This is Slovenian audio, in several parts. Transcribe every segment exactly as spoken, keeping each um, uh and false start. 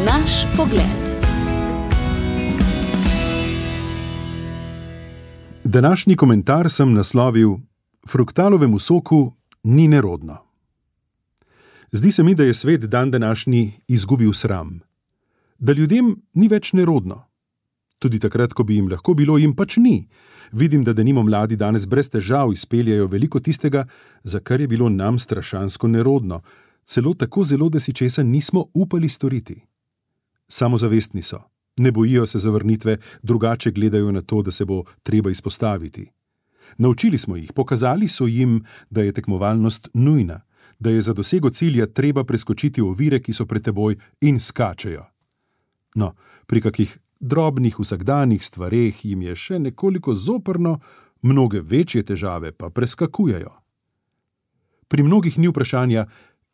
Naš pogled. Današnji komentar sem naslovil: Fruktalovemu soku ni nerodno. Zdi se mi, da je svet dan današnji izgubil sram. Da ljudem ni več nerodno. Tudi takrat, ko bi jim lahko bilo, jim pač ni. Vidim, da denimo mladi danes brez težav izpeljajo veliko tistega, za kar je bilo nam strašansko nerodno. Celo tako zelo, da si česa nismo upali storiti. Samozavestni so. Ne bojijo se zavrnitve, drugače gledajo na to, da se bo treba izpostaviti. Naučili smo jih, pokazali so jim, da je tekmovalnost nujna, da je za dosego cilja treba preskočiti ovire, ki so pred teboj, in skačejo. No, pri kakih drobnih vsakdanjih stvareh jim je še nekoliko zoprno, mnoge večje težave pa preskakujejo. Pri mnogih ni vprašanja,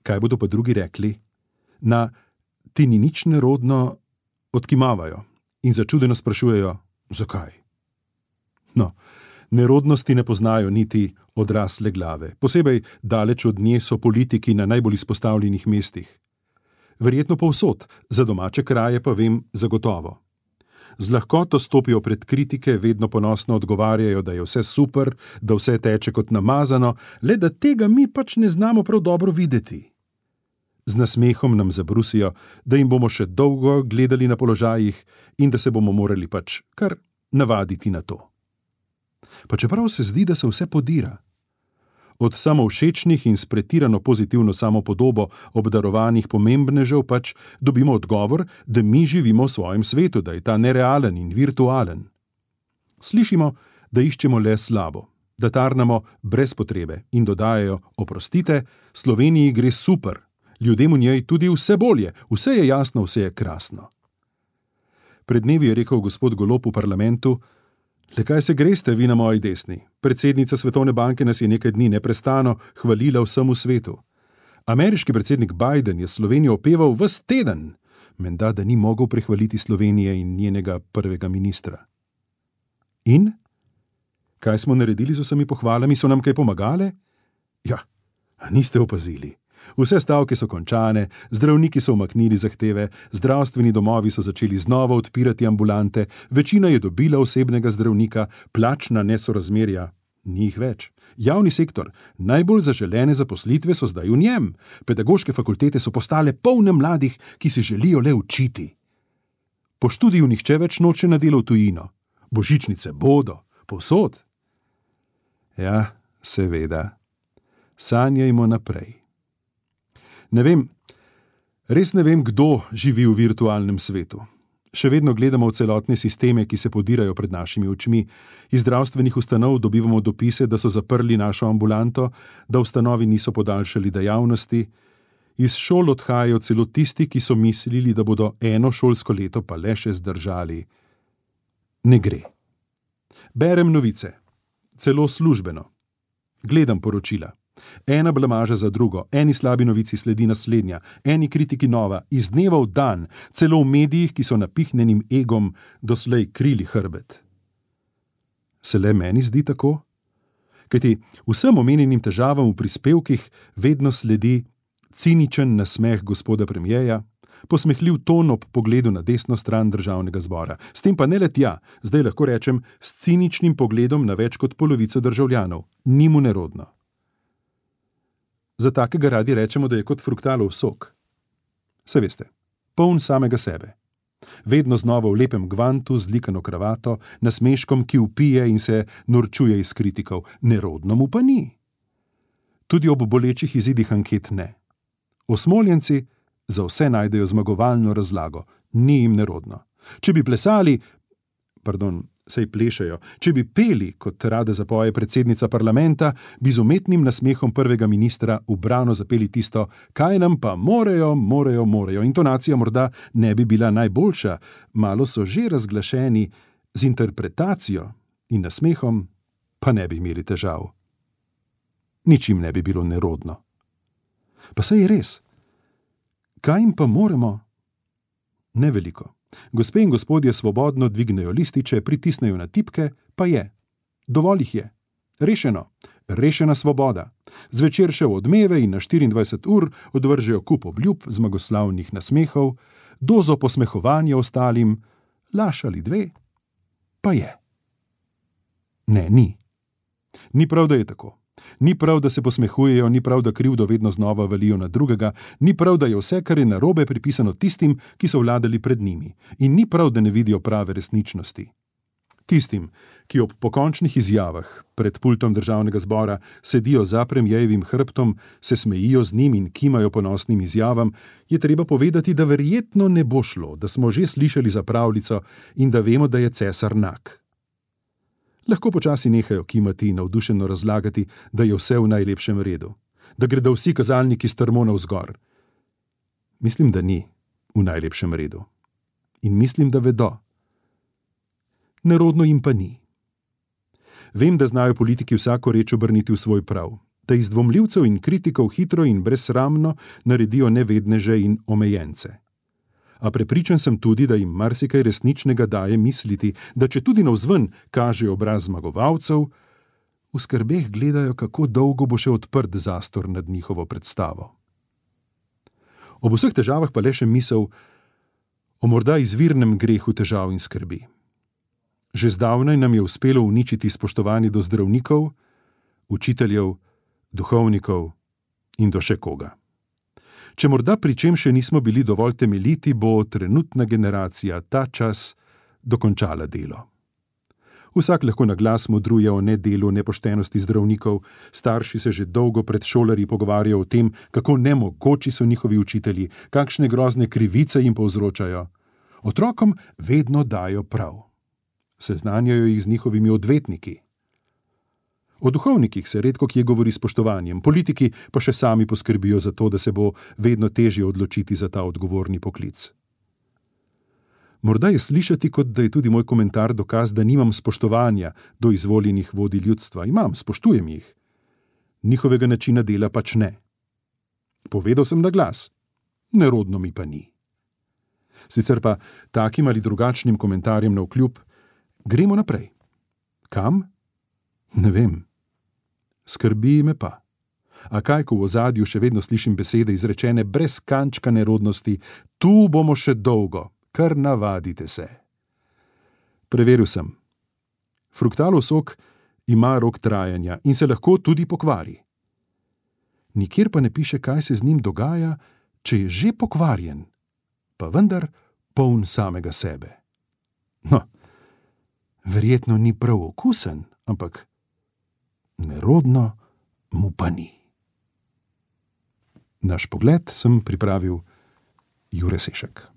kaj bodo pa drugi rekli. Na ti ni nič nerodno odkimavajo in začudeno sprašujejo, zakaj. No, nerodnosti ne poznajo niti odrasle glave. Posebej daleč od nje so politiki na najbolj izpostavljenih mestih. Verjetno povsod, za domače kraje pa vem zagotovo. Z lahkoto stopijo pred kritike, vedno ponosno odgovarjajo, da je vse super, da vse teče kot namazano, le da tega mi pač ne znamo prav dobro videti. Z nasmehom nam zabrusijo, da jim bomo še dolgo gledali na položajih in da se bomo morali pač kar navaditi na to. Pa čeprav se zdi, da se vse podira. Od samovšečnih in s pretirano pozitivno samopodobo obdarovanih pomembnežev pač dobimo odgovor, da mi živimo v svojem svetu, da je ta nerealen in virtualen. Slišimo, da iščemo le slabo, da tarnamo brez potrebe in dodajajo, oprostite, Sloveniji gre super, ljudem v njej tudi vse bolje, vse je jasno, vse je krasno. Pred dnevi je rekel gospod Golob v parlamentu: Le kaj se greste vi na moji desni? Predsednica Svetovne banke nas je nekaj dni neprestano hvalila vsemu svetu. Ameriški predsednik Biden je Slovenijo opeval ves teden, menda da ni mogel prehvaliti Slovenije in njenega prvega ministra. In? Kaj smo naredili z vsemi pohvalami? So nam kaj pomagale? Ja, niste opazili. Vse stavke so končane, zdravniki so umaknili zahteve, zdravstveni domovi so začeli znova odpirati ambulante, večina je dobila osebnega zdravnika, plačna nesorazmerja ni jih več. Javni sektor, najbolj zaželene zaposlitve so zdaj v njem. Pedagoške fakultete so postale polne mladih, ki si želijo le učiti. Po študiju nihče več noče na delo v tujino. Božičnice bodo, povsod. Ja, seveda. Sanjajmo naprej. Ne vem, res ne vem, kdo živi v virtualnem svetu. Še vedno gledamo v celotne sisteme, ki se podirajo pred našimi očmi. Iz zdravstvenih ustanov dobivamo dopise, da so zaprli našo ambulanto, da ustanovi niso podaljšali dejavnosti. Iz šol odhajajo celo tisti, ki so mislili, da bodo eno šolsko leto pa le še zdržali. Ne gre. Berem novice, celo službeno. Gledam poročila. Ena blamaža za drugo, eni slabi novici sledi naslednja, eni kritiki nova, iz dneva v dan, celo v medijih, ki so napihnjenim egom doslej krili hrbet. Se le meni zdi tako? Kajti vsem omenjenim težavam v prispevkih vedno sledi ciničen nasmeh gospoda premierja, posmehljiv ton ob pogledu na desno stran državnega zbora. S tem pa ne le tja, zdaj lahko rečem, s ciničnim pogledom na več kot polovico državljanov. Ni mu nerodno. Za takega radi rečemo, da je kot fruktalov sok. Se veste, poln samega sebe. Vedno znova v lepem gvantu, z likano kravato, nasmeškom, ki vpije in se norčuje iz kritikov. Nerodno mu pa ni. Tudi ob bolečih izidih anket ne. Osmoljenci za vse najdejo zmagovalno razlago. Ni jim nerodno. Če bi plesali, pardon, sej plešajo, če bi peli, kot rada zapoje predsednica parlamenta, bi z umetnim nasmehom prvega ministra ubrano zapeli tisto, kaj nam pa morejo, morejo, morejo. Intonacija morda ne bi bila najboljša, malo so že razglašeni, z interpretacijo in nasmehom pa ne bi imeli težav. Ničim ne bi bilo nerodno. Pa saj je res. Kaj jim pa moremo? Ne veliko. Gospe in gospodje svobodno dvignejo lističe, pritisnejo na tipke, pa je. Dovolj jih je. Rešeno. Rešena svoboda. Zvečer še v odmeve in na štiriindvajset ur odvržejo kup obljub, zmagoslavnih nasmehov, dozo posmehovanja ostalim, laž ali dve, pa je. Ne, ni. Ni prav, da je tako. Ni prav, da se posmehujejo, ni prav, da krivdo vedno znova valijo na drugega, ni prav, da je vse, kar je narobe, pripisano tistim, ki so vladali pred njimi. In ni prav, da ne vidijo prave resničnosti. Tistim, ki ob pokončnih izjavah pred pultom državnega zbora sedijo za premijejevim hrbtom, se smejijo z njim in kimajo ponosnim izjavam, je treba povedati, da verjetno ne bo šlo, da smo že slišali za pravljico in da vemo, da je cesar nag. Lahko počasi nehajo kimati in navdušeno razlagati, da je vse v najlepšem redu, da gredo vsi kazalniki strmo navzgor. Mislim, da ni v najlepšem redu. In mislim, da vedo. Nerodno jim pa ni. Vem, da znajo politiki vsako reč obrniti v svoj prav, da iz dvomljivcev in kritikov hitro in brezsramno naredijo nevedneže in omejence. A prepričan sem tudi, da jim marsikaj resničnega daje misliti, da če tudi navzven kažejo obraz zmagovalcev, v skrbeh gledajo, kako dolgo bo še odprt zastor nad njihovo predstavo. Ob vseh težavah pa le še misel o morda izvirnem grehu težav in skrbi. Že zdavnaj nam je uspelo uničiti spoštovanje do zdravnikov, učiteljev, duhovnikov in do še koga. Če morda pri čem še nismo bili dovolj temeljiti, bo trenutna generacija ta čas dokončala delo. Vsak lahko na glas modruje o nedelu, nepoštenosti zdravnikov, starši se že dolgo pred šolarji pogovarjajo o tem, kako nemogoči so njihovi učitelji, kakšne grozne krivice jim povzročajo. Otrokom vedno dajo prav. Seznanjajo jih z njihovimi odvetniki. O duhovnikih se redko kje govori s spoštovanjem, politiki pa še sami poskrbijo za to, da se bo vedno težje odločiti za ta odgovorni poklic. Morda je slišati, kot da je tudi moj komentar dokaz, da nimam spoštovanja do izvoljenih vodij ljudstva. Imam, spoštujem jih. Njihovega načina dela pač ne. Povedal sem na glas. Nerodno mi pa ni. Sicer pa takim ali drugačnim komentarjem navkljub, gremo naprej. Kam? Ne vem. Skrbi me pa. A kaj, ko v ozadju še vedno slišim besede izrečene brez kančka nerodnosti, tu bomo še dolgo, kar navadite se. Preveril sem. Fruktalov sok ima rok trajanja in se lahko tudi pokvari. Nikjer pa ne piše, kaj se z njim dogaja, če je že pokvarjen, pa vendar poln samega sebe. No, verjetno ni prav okusen, ampak nerodno mu pa ni. Naš pogled sem pripravil Jure Sešek.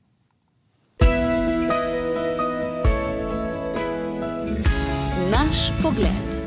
Naš pogled.